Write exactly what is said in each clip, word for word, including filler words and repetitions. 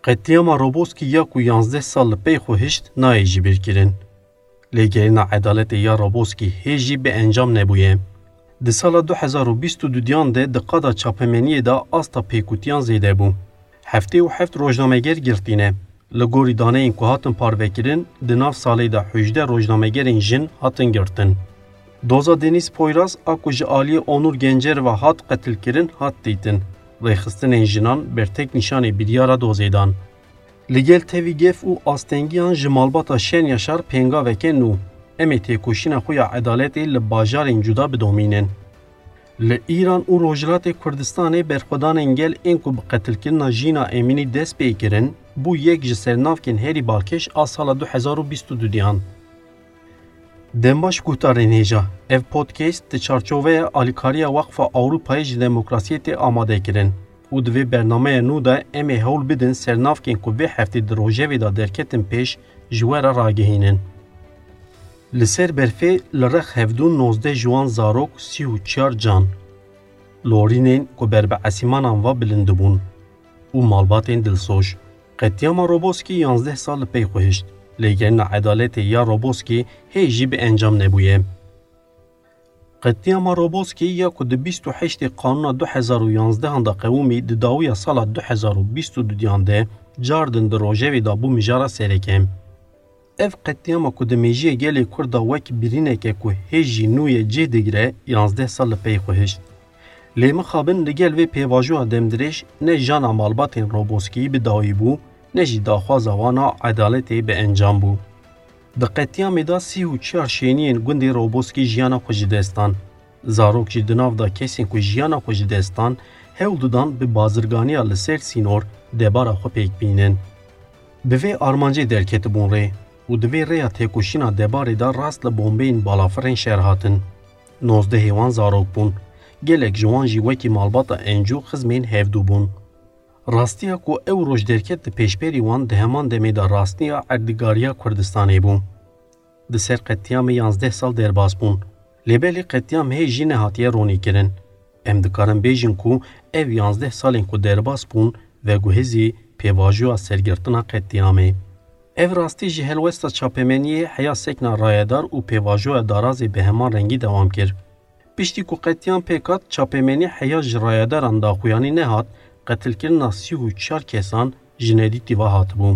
Qetlîama Roboskî ya ku yanzdeh sal li pey xwe hişt nayê jibîrkirin. Lêgerîna edaletê ya Roboskî hê jî bi encam nebûye. Di sala du hezar û bîst û duyan de di qada çapemeniyê de asta pêkûtiyan zêde bû. Heftê û heft rojnameger girtî ne. Li gorî daneyên ku hatin parvekirin, di nav salê de hejdeh rojnamegerên jin hatin girtin. Doza Denîz Poyraz a ku ji aliyê Onur Gencer ve hat qetilkirin, hat dîtin. Rêxistinên jinan bertek nîşanê biryara dozê dan. Li gel tevî gef û astengiyan ji malbata Şen Yaşar pêngaveke nû. Em ê têkoşîna xwe ya edaletê li bajarên cuda bidomînin. Li Îran û Rojhilatê Kurdistanê berxwedanên gel ên ku bi qetilkirina Jîna Emînî dest pê kirin, bû yek ji sernavkên herî balkêş a sala du hezar û bîst û duyan. Dembaş guhdarên hêja, ev podcast di çarçoveya alîkariya Waqfa Ewropayê ji demokrasiyê tê amade kirin û di vê bernameya nû de em ê hewl bidin sernavkên ku vê heftê di rojevê de derketin pêş ji we re ragihînin. Li ser berfê li rex hevdû nozdeh ji wan zarok, sî û çar can. Lorînên ku ber bi esîmanan ve bilind dibûn û malbatên dilsoz. Qetlîama Roboskî yanzdeh sal li pey xwe hişt. Lêgerîna edaletê ya Roboskî hê jî bi encam nebûye. Qetlîama Roboskî ya ku di bîst û heştê Qanûna du hezar û yanzdehan de qewimî, di dawiya sala du hezar û bîst û duyan de cardin di rojevê de bû mijara sereke. Ev qetlîama ku di mêjiyê gelê Kurd de wek birîneke ku hê jî nû ye cih digire, yanzdeh sal li pey xwe hişt. Lê mixabin li gel vê pêvajoya demdirêj ne jana malbatên Roboskiyî bi dawî bû, ne jî daxwaza wan a edaletê bi encam bû. Di qetlîamê de sî û çar şêniyên gundê Roboskî jiyana xwe ji dest dan. Zarok jî di nav de kesên ku jiyana xwe ji dest dan, hewl didan bi bazirganiya li ser sînor debara xwe pêk bînin. Bi vê armancê derketibûn rê û di vê rêya têkoşîna debarê de rast li bombeyên balafirên şer hatin. Nozdehê wan zarok bûn. Gelek ji wan jî wekî malbata Encû xizmên hevdû bûn. Rastiya ku ew roj derket di pêşberî wan di heman demê de rastiya erdnîgariya Kurdistanê bû. Di ser qetlîamê yanzdeh sal derbas bûn. Lê belê qetlîam hê jî nehatiye ronîkirin. Em dikarin bêjin ku ev yanzdeh salên ku derbas bûn, veguhezî pêvajoya sergirtina qetlîamê. Ev rastî ji helwesta çapemeniyê heya sekna rayedar û pêvajoya darazê bi heman rengî dewam kir. Piştî ku qetlîam pêk hat, çapemenî heya ji rayedaran daxuyanî nehat, qetilkirina sî û çar kesan ji nedîtî ve hatibû.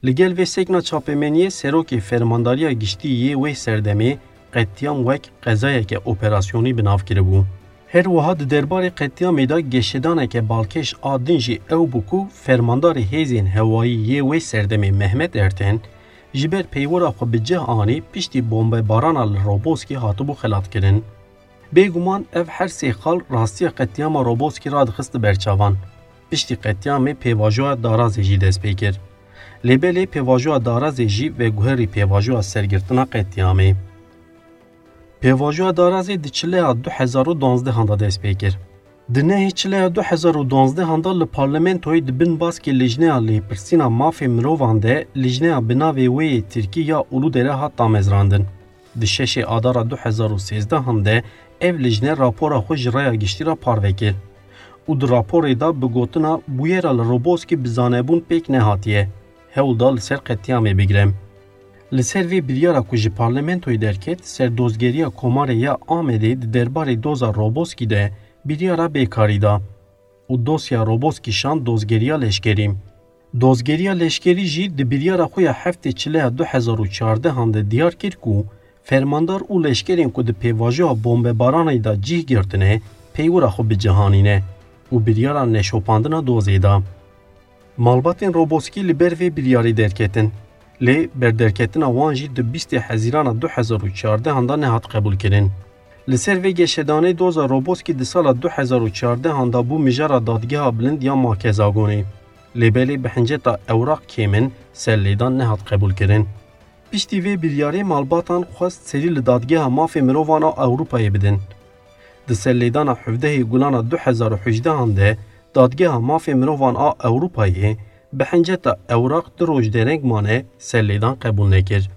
Li gel vê sekna çapemeniyê serokê Fermandariya Giştî yê wê serdemê qetlîam wek qezayeke operasyonî bi nav kiribû. Her wiha di derbarê qetlîamê de geşedaneke balkêş a din jî ew bû ku fermandarê hêzên hewayî yê wê serdemê Mehmet Erten ji ber peywira xwe bi cih anî piştî bombebarana li Roboskî hatibû xelatkirin. Bêguman ev her sê xal rastiya qetlîama Roboskî radixist li ber çavan. Piştî qetlîamê pêvajoya darazê jî dest pê kir. Lê belê pêvajoya darazê jî veguherî pêvajoya sergirtina qetlîamê. Pêvajoya darazê di çileya du hezar û duanzdehan de dest pê kir. Di nehê çileya du hezar û duanzdehan de li parlamentoyê di bin baskê Lijneya Lêpirsîna Mafê Mirovan de lijneya bi navê wê yê tirkî ya Uludere hat damezrandin. Di şeşê Adara du hezar û sêzdehan de ev lijne rapora xwe ji raya giştî re parve kir û di raporê de bi gotina bûyera li Roboskî bi zanebûn pêk nehatiye, hewl da li ser qetlîamê bigire. Li ser vê biryara ku ji parlamentoyê derket, serdozgeriya Komarê ya Amedê di derbarê doza Roboskî de biryara bêkarî da û dosya Roboskî şand dozgeriya leşkerî. Dozgeriya leşkerî jî di biryara xwe ya heftê çileya du hezar û çardehan de diyar kir ku fermandar û leşkerên ku di pêvajoya bombebaranê de cih girtine, peywira xwe bi cih anîne û biryara neşopandina dozê da. Malbatên Roboskî li ber vê biryarê derketin. Lê berderketina wan jî di bîstê Hezîrana du hezar û çardehan de nehat qebûlkirin. Li ser vê geşedanê doza Roboskî di sala du hezar û çardehan de bû mijara Dadgeha Bilind ya Makezagonê. Lê belê bi hinceta ewraq kêmin serlêdan nehat qebûlkirin. Piştî vê biryarê malbatan xwest serî li Dadgeha Mafê Mirovan a Ewropayê bidin. Di serlêdana hevdehê Gulana du hezar û hejdehan de Dadgeha Mafê Mirovan a Ewropayê bi hinceta ewraq du roj dereng mane serlêdan qebûl nekir.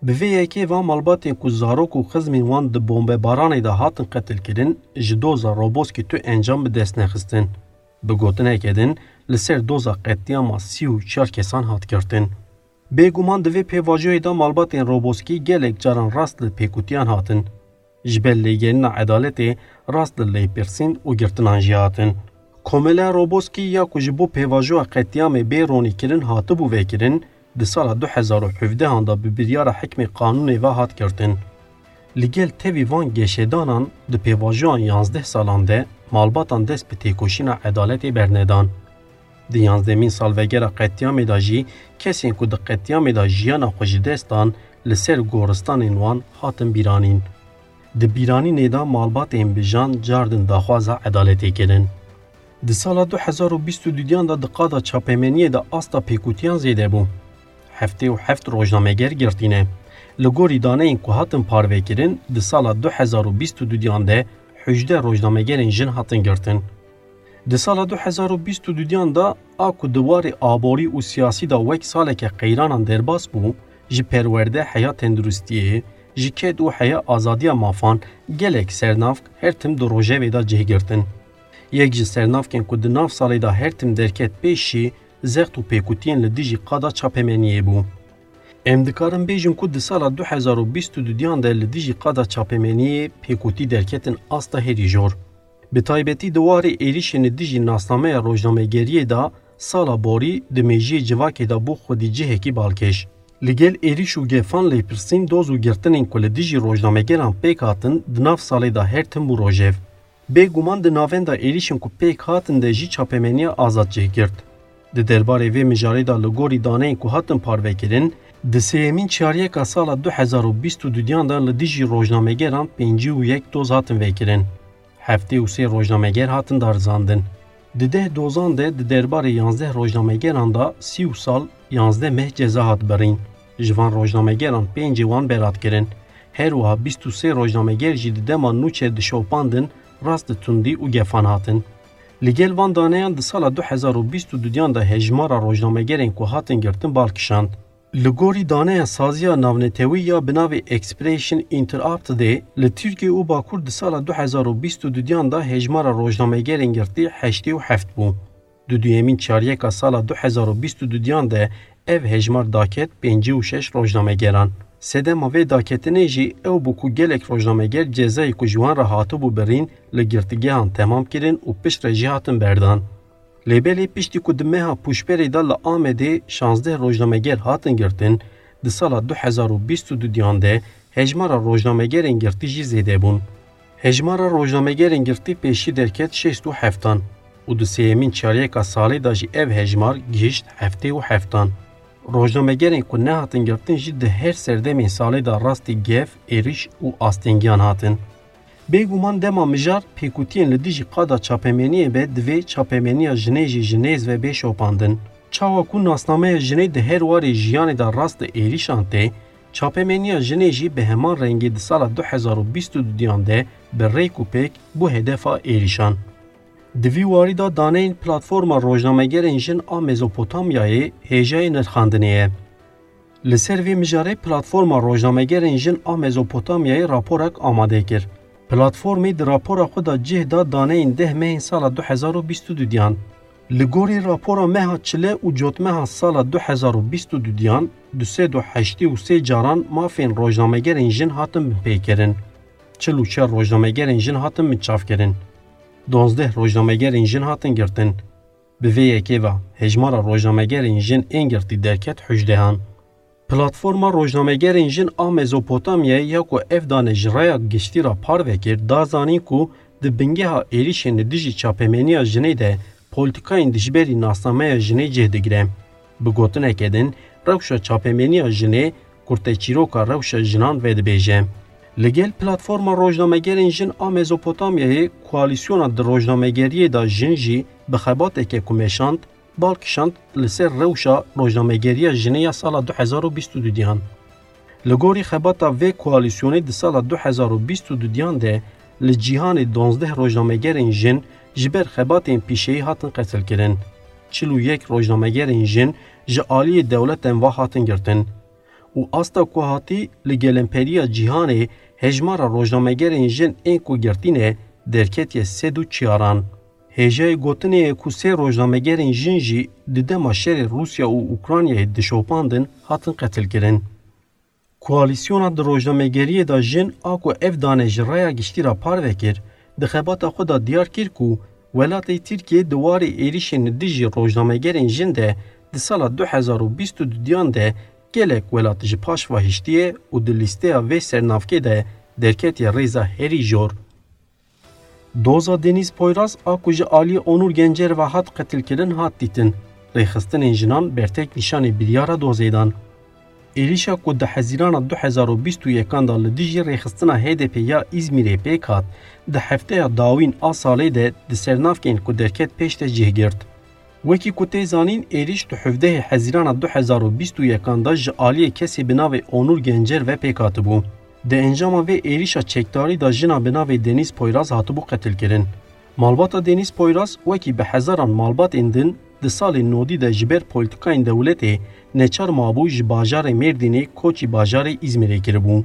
Bi vê yekê va malbatên ku zarok û xizmên wan di bombebaranê de hatin qetilkirin, ji doza Roboskî tu encam bi dest nexistin. Bi gotineke din, li ser doza qetlîama sî û çar kesan hat girtin. Bêguman di vê pêvajoyê de malbatên Roboskî gelek caran rast li pêkutiyan hatin. Ji ber lêgerîna edaletê rast li lêpirsîn û girtinan jî hatin. Komeleya Roboskî ya ku ji bo pêvajoya qetlîamê bê ronîkirin hatibû vekirin, di sala du hezar û hevdehan de bi biryara hikmê qanûnê ve hat girtin. Li gel tevî van geşedanan di pêvajoyan yanzdeh salan de malbatan dest bi têkoşîna edaletê bernedan. Di yanzdemîn salvegera qetlîamê de jî kesên ku di qetlîamê de jiyana xwe ji dest dan li ser goristanên wan hatin bîranîn. Di bîranînê de malbatên bi jan cardin daxwaza edaletê kirin. Di sala du hezar û bîst û duyan de di qada çapemeniyê de asta pêkutiyan zêde bû. Heftê û heft rojnameger girtîne. Li gorî daneyên ku hatin parvekirin, di sala du hezar û bîst û duyan de hejde rojnamegerên jin hatin girtin. Di sala du hezar û bîst û duyan de a ku di warê aborî û siyasî de wek saleke qeyranan derbas bû, ji perwerde heya tenduristiyê, ji ked û heya azadiya mafan gelek sernavk her tim di rojevê de cih girtin. Yek ji sernavkên ku di nav salê de her tim derket pêş jî zext û pêkutiyên li dijî qada çapemeniyê bû. Em dikarin bêjin ku di sala du hezar û bîst û duyan de li dijî qada çapemeniyê pêkutî derketin asta herî jor. Bi taybetî di warê êrîşên li dijî nasnameya rojnamegeriyê de sala borî di mêjiyê civakê de bû xwedî cihekî balkêş. Li gel êrîş û gefan lêpirsîn doz û girtinên ku li dijî rojnamegeran pêk hatin di nav salê de her tim bû rojev. Bêguman di navenda êrîşên ku pêk hatin de jî çapemeniya azad cih girt. Di derbarê vê mijarê de li gorî daneyên ku hatin parvekirin, di sêyemîn çaryeka sala du hezar û bîst û duyan de li dijî rojnamegeran pêncî û yek doz hatin vekirin. Heftê û sê rojnameger hatin darizandin. Di deh dozan de di derbarê yanzdeh rojnamegeran de sî û sal yanzdeh meh ceza hat birîn. Ji van rojnamegeran pêncê wan berat kirin. Her wiha bîst û sê rojnameger jî di dema nûçe dişopandin, rast di tundî û gefan hatin. Li gel van daneyan di sala du hezar û bîst û duyan de hejmara rojnamegerên ku hatin girtin bal kişand. Li gorî daneya saziya navnetewî ya bi navê Expression Interruptedê, li Tirkiye û Bakur di sala du hezar û bîst û duyan de hejmara rojnamegerên girtî heştê û heft bû. Di duyemîn çaryeka sala du hezar û bîst û duyan de ev hejmar daket pêncî û şeş rojnamegeran. Sedema vê daketinê jî ew bû ku gelek rojnameger cezayê ku ji wan re hatibû birîn li girtîgehan temam kirin û piştre jî hatin berdan. Lê belê piştî ku di meha pûşberê de li Amedê şazdeh rojnameger hatin girtin, di sala du hezar û bîst û duyan de hejmara rojnamegerên girtî jî zêde bûn. Hejmara rojnamegerên girtî pêşî derket şêst û heftan û di sêyemîn çaryeka salê de jî ev hejmar gihişt heftê û heftan. Rojnamegerên ku nehatin girtin jî di her serdemên salê de rastî gef, êrîş û astengîyan hatin. Bêguman dema mijar pêkutiyên li dijî qada çapemeniyê be, divê çapemeniya jinê jî ji nêz ve bê şopandin. Çawa ku nasnameya jinê di her warê jiyanê de rast li êrîşan tê, çapemeniya jinê jî bi heman rengî di sala du hezar û bîst û duyan de bi rêk û pêk bû hedefa êrîşan. Di vî warî de daneyên Platforma Rojnamegerên Jin a Mezopotamyayê hêjayê nirxandinê ye. Li ser vê mijarê Platforma Rojnamegerên Jin a Mezopotamyayê raporek amade kir. Platformê di rapora xwe de cih da daneyên deh mehên sala du hezar û bîst û duyan. Li gorî rapora meha çile û cotmeha sala du hezar û bîst û duyan, du sed û heştê û sê caran mafên rojnamegerên jin hatin binpêkirin. Çil û çar rojnamegerên jin hatin binçavkirin. Duwazdeh rojnamegerên jin hatin girtin. Bi vê yekê ve hejmara rojnamegerên jin ên girtî derket hejdehan. Platforma Rojnamegerên Jin a Mezopotamyayê ya ku ev dane ji raya giştî re parve kir, da zanîn ku di bingeha êrîşên li dijî çapemeniya jinê de polîtîkayên dijberî nasnameya jinê cih digire. Bi gotineke din, rewşa çapemeniya jinê kurteçîroka rewşa jinan vedibêje. Li gel Platforma Rojnamegerên Jin a Mezopotamyayê, koalîsyona di rojnamegeriyê de jin jî bi xebateke ku meşand, bal kişand li ser rewşa rojnamegeriya jinê ya sala du hezar û bîst û duyan. Li gorî xebata vê koalîsyonê di sala du hezar û bîst û duyan de li cîhanê duwazdeh rojnamegerên jin ji ber xebatên pîşeyî hatin qetilkirin. Çil û yek rojnamegerên jin ji aliyê dewleten ve hatin girtin. Û asta ku hatî li gelemperiya cîhanê hejmara rojnamegerên jin ên ku girtî ne derketiye sed û çiyaran. Hêjayê gotinê ye ku sê rojnamegerên jin jî di dema şerê Rûsya û Ukraynayê dişopandin, hatin qetilkirin. Koalîsyona di rojnamegeriyê de jin a ku ev dane ji raya giştî re parve kir, di xebata xwe de diyar kir ku welatê Tirkiyê di warê êrişên li dijî rojnamegerên jin de di sala du hezar û bîst û duyan de gelek welat ji paş ve hiştiye û di lîsteya vê sernavkê de derketiye rêza herî jor. Doza Denîz Poyraz a ku ji aliyê Onur Gencer ve hat qetilkirin hat dîtin. Rêxistinên jinan bertek nîşanê biryara dozê dan. Êrişa ku di Hezîrana du hezar û bîst û yekan de li dijî rêxistina H D P ya Îzmîrê pêk hat, di hefteya dawîn a salê de di sernavkên ku derket pêş de cih girt. Wekî ku tê zanîn, êrîş di hevdehê Hezîrana du hezar û bîst û yekan de ji aliyê kesê bi navê Onur Gencer ve pêk hatibû. Di encama vê êrîşa çekdarî de jina bi navê Denîz Poyraz hatibû qetilkirin. Malbata Denîz Poyraz wekî bi hezaran malbatên din di salên nodî de ji ber polîtîkayên dewletê neçar mabû ji bajarê Mêrdînê koçî bajarê Îzmîrê kiribû.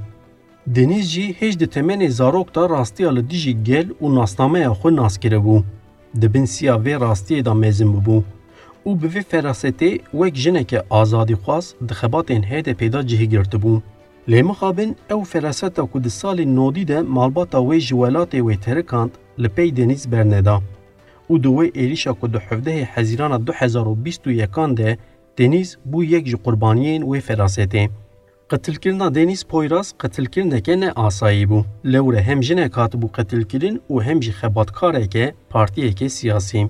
Denîz jî hêj di temenê zarok de rastiya li dijî gel û nasnameya xwe nas kiribû. Di bin siya vê rastiyê de mezin bûbû û bi vê ferasetê wek jineke azadîxwaz di xebatên H D P de cih girtibû. Lê mixabin ew feraseta ku di salên nodî de malbata wê ji welatê wê terikand, li pey Denîz berneda û di wê êrişa ku di hevdehê Hezîrana du hezar û bîst û yekan de Denîz bû yek ji qurbaniyên wê ferasetê. Qetilkirina Denîz Poyraz qetilkirineke ne asayî bû. Lewre hem jinek hatibû qetilkirin û hem jî xebatkareke partiyeke siyasî.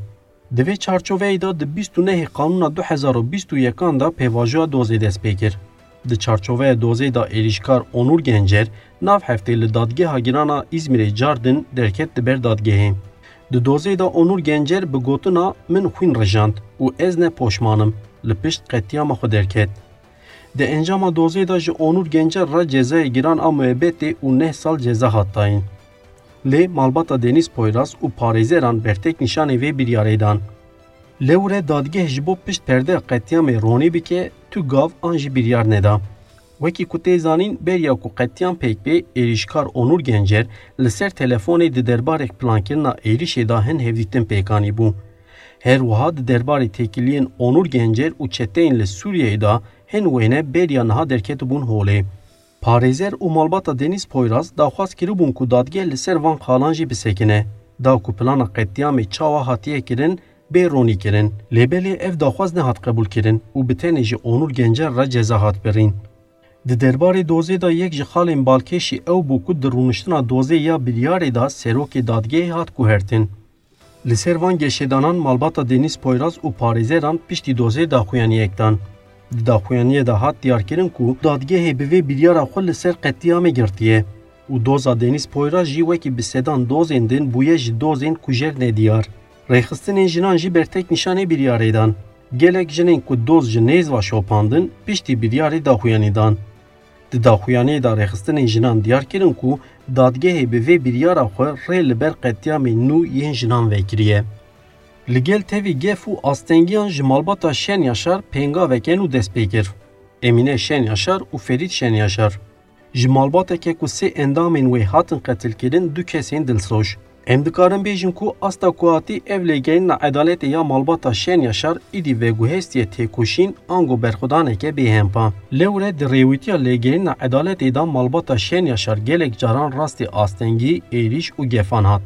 Di vê çarçoveyê de di bîst û nehê Kanûna du hezar û bîst û yekan de pêvajoya dozê dest pê kir. Di çarçoveya dozê de êrîşkar Onur Gencer nav heftê li Dadgeha Giran a Îzmîrê car din derket di ber dadgehê. Di dozê de Onur Gencer bi gotina "Min xwîn rijand û ez ne poşman im" li pişt qetlîama xwe derket. Di encama dozê de ji Onur Gencer re cezayê giran a muebetê û neh sal ceza hat dayîn. Lê malbata Denîz Poyraz û parêzeran bertek nîşanê vê biryarê dan. Lewre dadgeh ji bo pişt perdeya qetlîamê ronî bike, tu gav an jî biryar neda. Wekî ku tê zanîn, beriya ku qetlîam pêk bê, êrîşkar Onur Gencer li ser telefonê di derbarê plankirina êrişê de hin hevdîtin pêk anîbû. Her wiha di derbarê têkiliyên Onur Gencer û çeteyên li Sûriyeyê de hin wêne beriya niha derketibûn holê. Parêzer û malbata Denîz Poyraz daxwaz kiribûn ku dadgeh li ser van xalan jî bisekine, da ku plana qetlîamê çawa hatiye kirin bê ronîkirin. Lê belê ev daxwaz nehat qebûlkirin û bi tenê ji Onur Gencer re ceza hat birîn. Di derbarê dozê de yek ji xalên balkêşî ew bû ku di rûniştina dozê ya biryarê de serokê dadgehê hat guhertin. Li ser van geşedanan malbata Denîz Poyraz û parêzeran piştî dozê daxuyaniyek dan. Di daxuyaniyê de hat diyarkirin ku dadgehê bi vê biryara xwe li ser qetlîamê girtiye û doza Denîz Poyraz jî wekî bi sedan dozên din bûye ji dozên kujer nediyar. Rêxistinên jinan jî bertek nîşanê biryarê dan. Gelek jinên ku doz ji nêz ve şopandin, piştî biryarê daxuyanî dan. Di daxuyaniyê de rêxistinên jinan diyar kirin ku dadgehê bi vê biryara xwe rê li ber qetlîamên nû yên jinan vekiriye. Li gel tevî gef û astengiyan ji malbata Şen Yaşar pêngaveke nû dest pê kir. Emîne Şen Yaşar û Ferîd Şen Yaşar. Ji malbateke ku sê endamên wê hatin qetilkirin du kesên dilsoz. Em dikarin bêjin ku asta ku hatî ev lêgerîna edaletê ya malbata Şen Yaşar îdî veguhestiye têkoşîn ango berxwedaneke bêhempa. Lewre di rêwîtiya lêgerîna edaletê de malbata Şen Yaşar gelek caran rastî astengî, êrîş û gefan hat.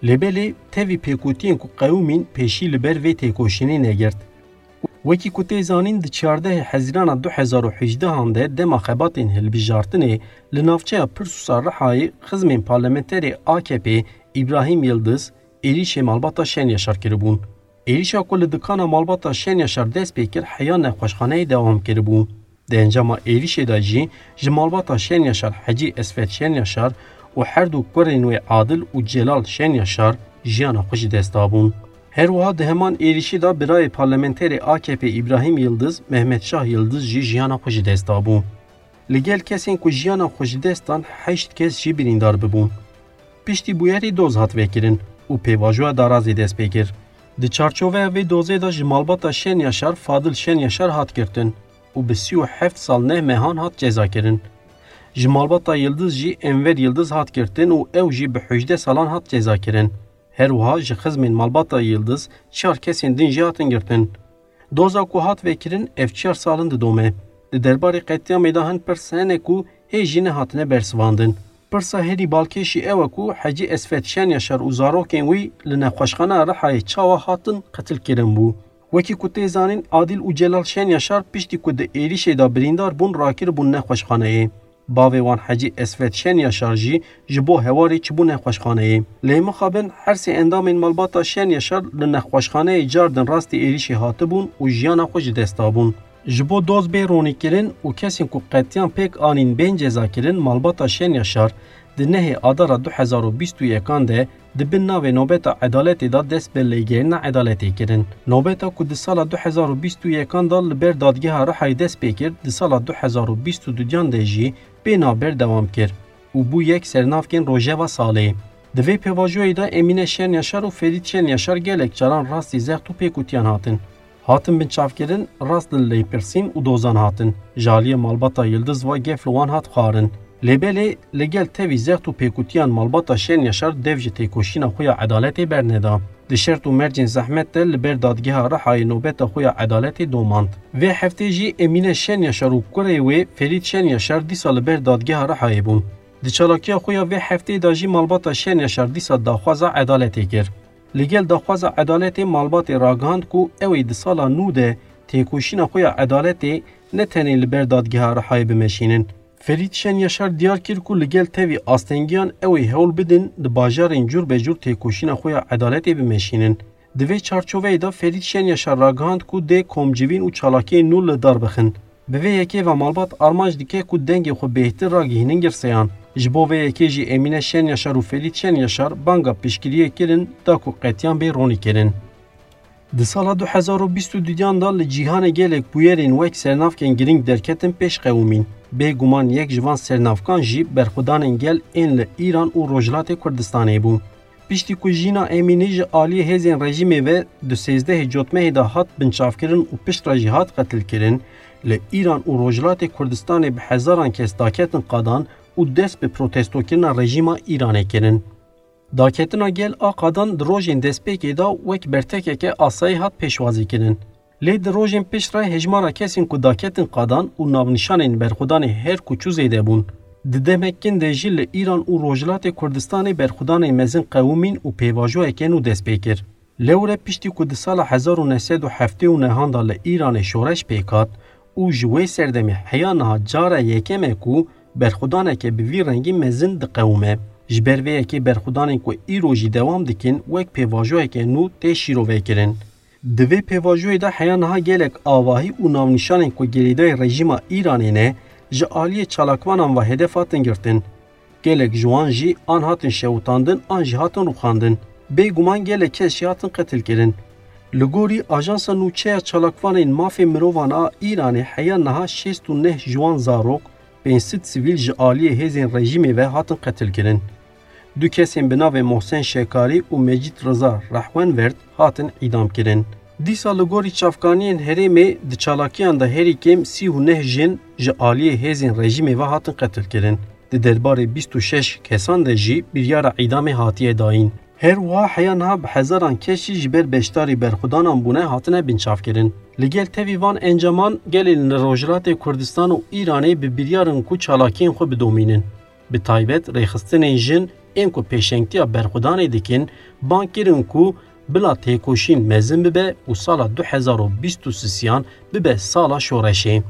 Lê belê tevî pêkûtiyên ku qewimîn pêşî li ber vê têkoşînê negirt. Wekî ku tê zanîn, di çardehê Hezîrana du hezar û hejdehan de dema xebatên hilbijartinê li navçeya Pirsûs a Rihayê xizmên parlamenterê A K P Îbrahîm Yildiz êrîşê malbata Şen Yaşar kiribûn. Êrîşa ku li dikana malbata Şen Yaşar dest pê kir heya nexweşxaneyê dewam kiribû. Di encama êrîşê de jî ji malbata Şen Yaşar Hecî Esfet Şen Yaşar û her du kurên wê Adil û Celal Şen Yaşar jiyana xwe ji dest dabûn. Her wiha di heman êrîşî de birayê parlamenterê A K P Îbrahîm Yildiz, Mehmet Şah Yildiz jî jiyana xwe ji dest dabû. Li gel kesên ku jiyana xwe ji dest dan, heşt kes jî birîndar bibûn. Piştî bûyerê doz hat vekirin û pêvajoya darazê dest pê kir. Di çarçoveya vê dozê de ji malbata Şen Yaşar Fadil Şen Yaşar hat girtin û bi sî û heft sal neh mehan hat cezakirin. Ji malbata Yildiz jî Enver Yildiz hat girtin û ew jî bi hejdeh salan hat cezakirin. Her wiha ji xizmên malbata Yildiz çar kesên din jî hatin girtin. Doza ku hat vekirin ev çar sal in didome. Di derbarê qetlîamê de hin pirs hene ku hê jî nehatine bersivandin. Pirsa herî balkêşî ew e ku Hecî Esfet Şenyaşar û zarokên wî li nexweşxaneya Rihayê çawa hatin qetilkirin bû. Wekî ku tê zanîn, Adîl û Celal Şenyaşar piştî ku di êrîşê de birîndar bûn, rakiribûn nexweşxaneyê. Bavê wan Hecî Esfet Şenyaşar jî ji bo hewarê çibû nexweşxaneyê. Lê mixabin her sê endamên malbata Şenyaşar li nexweşxaneyê cardin rastî êrîşê hatibûn û jiyana xwe ji dest dabûn. Ji bo doz bê ronîkirin û kesên ku qetlîam pêk anîn bên cezakirin, malbata Şenyaşar di nehê Adara du hezar û bîst û yekan de di bin navê Nobeta Edaletê de dest bi lêgerîna edaletê kirin. Nobeta ku di sala du hezar û bîst û yekan de li ber Dadgeha Rihayê dest pê kir, di sala du hezar û bîst û duyan de jî pê navber dewam kir û bû yek sernavkên rojeva salê. Di vê pêvajoyê de Emîne Şenyaşar û Ferît Şenyaşar gelek caran rastî zext û pêkutiyan hatin. Hatin binçavkirin, rast li lêpirsîn û dozan hatin. Ji aliyê malbata Yildiz ve gef li wan hat xwarin. Lê belê li gel tevî zext û pêkutiyan malbata Şenyaşar dev ji têkoşîna xwe ya edaletê berneda. Di şert û mercên zehmet de li ber Dadgeha Rihayê nobeta xwe ya edaletê domand. Vê heftê jî Emîne Şenyaşar û kurê wê Ferît Şenyaşar dîsa li ber Dadgeha Rihayê bûn. Di çalakiya xwe ya vê heftê de jî malbata Şenyaşar dîsa daxwaza edaletê kir. Li gel daxwaza edaletê malbatê ragihand ku ew ê di sala nû de têkoşîna xwe ya edaletê ne tenê li ber Dadgeha Rihayê bimeşînin. Ferît Şenyaşar diyar kir ku li gel tevî astengiyan ew ê hewl bidin di bajarên cûr be cûr têkoşîna xwe ya edaletê bimeşînin. Di vê çarçoveyê de Ferît Şenyaşar ragihand ku dê komcivîn û çalakiyên nû li dar bixin. Bi vê yekê ve malbat armanc dike ku dengê xwe bêhtir ragihînin girseyan. Ji bo vê yekê jî Emîne Şenyaşar û Ferît Şenyaşar banga piştgiriyê kirin da ku qetlîam bê ronîkirin. Di sala du hezar û bîst û duyan de li cîhanê gelek bûyerên wek sernavkên girîng derketin pêş qewimîn. Bêguman yek ji van sernavkan jî berxwedanên gel ên li Îran û Rojhilatê Kurdistanê bû. Piştî ku Jîna Emînî ji aliyê hêzên rejîmê ve di sêzdehê Cotmehê de hat binçavkirin û piştre jî hat qetilkirin, li Îran û Rojhilatê Kurdistanê bi hezaran kes daketin qadan û dest bi protestokirina rejîma Îranê kirin. Daketina gel a qadan di rojên destpêkê de wek bertekeke asayî hat pêşwazîkirin. Lê di rojên piştre hejmara kesên ku daketin qadan û navnîşanên berxwedanê her ku çû zêde bûn. Di demek kin de jî li Îran û Rojhilatê Kurdistanê berxwedanên mezin qewimîn û pêvajoyeke nû dest pê kir. Lewre piştî ku di sala hezar û neh sed û heftê û nehan de li Îranê şoreş pêk hat û ji wê serdemê heya niha cara yekem e ku berxwedaneke bi vî rengî mezin diqewime. Ji ber vê yekê berxwedanên ku îro jî dewam dikin wek pêvajoyeke nû tê şîrovekirin. Di vê pêvajoyê de heya niha gelek avahî û navnîşanên ku girêdayî rejîma Îranê ne, ji aliyê çalakvanan ve hedef hatin girtin. Gelek ji wan jî an hatin şewitandin an jî hatin rûxandin. Bêguman gelek kes jî hatin qetilkirin. Li gorî Ajansa Nûçe ya Çalakvanên Mafê Mirovan a Îranê heya niha şêst û neh ji wan zarok, pênc sed sivîl ji aliyê hêzên rejîmê ve hatin qetilkirin. Du kesên bi navê Mohsen Şekarî û Mecîd Riza Rehwenverd hatin îdamkirin. Dîsa li gorî çavkaniyên herêmê di çalakiyan de herî kêm sî û neh jin ji aliyê hêzên rejîmê ve hatin qetilkirin. Di derbarê bîst û şeş kesan de jî biryara îdamê hatiye dayîn. Her wiha heya niha bi hezaran kes jî ji ber beşdarî berxwedanan bûne hatine binçavkirin. Li gel tevî van encaman gelên li Rojhilatê Kurdistan û Îranê bi biryar in ku çalakiyên xwe bidomînin. Bi taybet rêxistinên jin ên ku pêşengtiya berxwedanê dikin, bang kirin ku bila têkoşîn mezin bibe û sala du hezar û bîst û sisiyan bibe sala şoreşê.